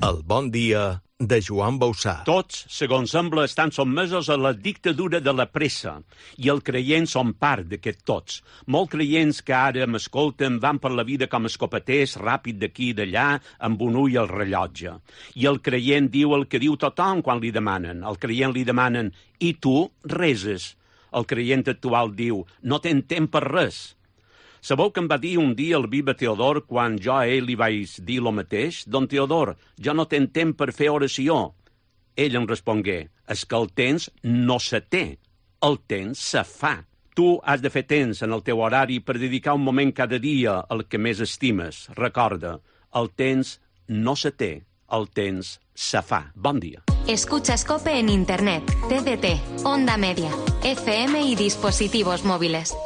El bon dia de Joan Bausà. Tots, segons sembla, estan sotmesos a la dictadura de la pressa, i els creients són part d'aquest tots. Molts creients que ara m'escolten van per la vida com escopeters, ràpid d'aquí i d'allà, amb un ull al rellotge. I el creient diu el que diu tothom quan li demanen. El creient li demanen, i tu reses? El creient actual diu, no tens temps per res. Sabeu que em va dir un dia el Viva Teodor quan jo a ell li vaig dir lo mateix? Don Teodor, jo no tenc temps per fer oració. Ell em respongué, és que el temps no se té, el temps se fa. Tu has de fer temps en el teu horari per dedicar un moment cada dia al que més estimes. Recorda, el temps no se té, el temps se fa. Bon dia. Escucha Scope en Internet, TDT, Onda Media, FM y dispositivos móviles.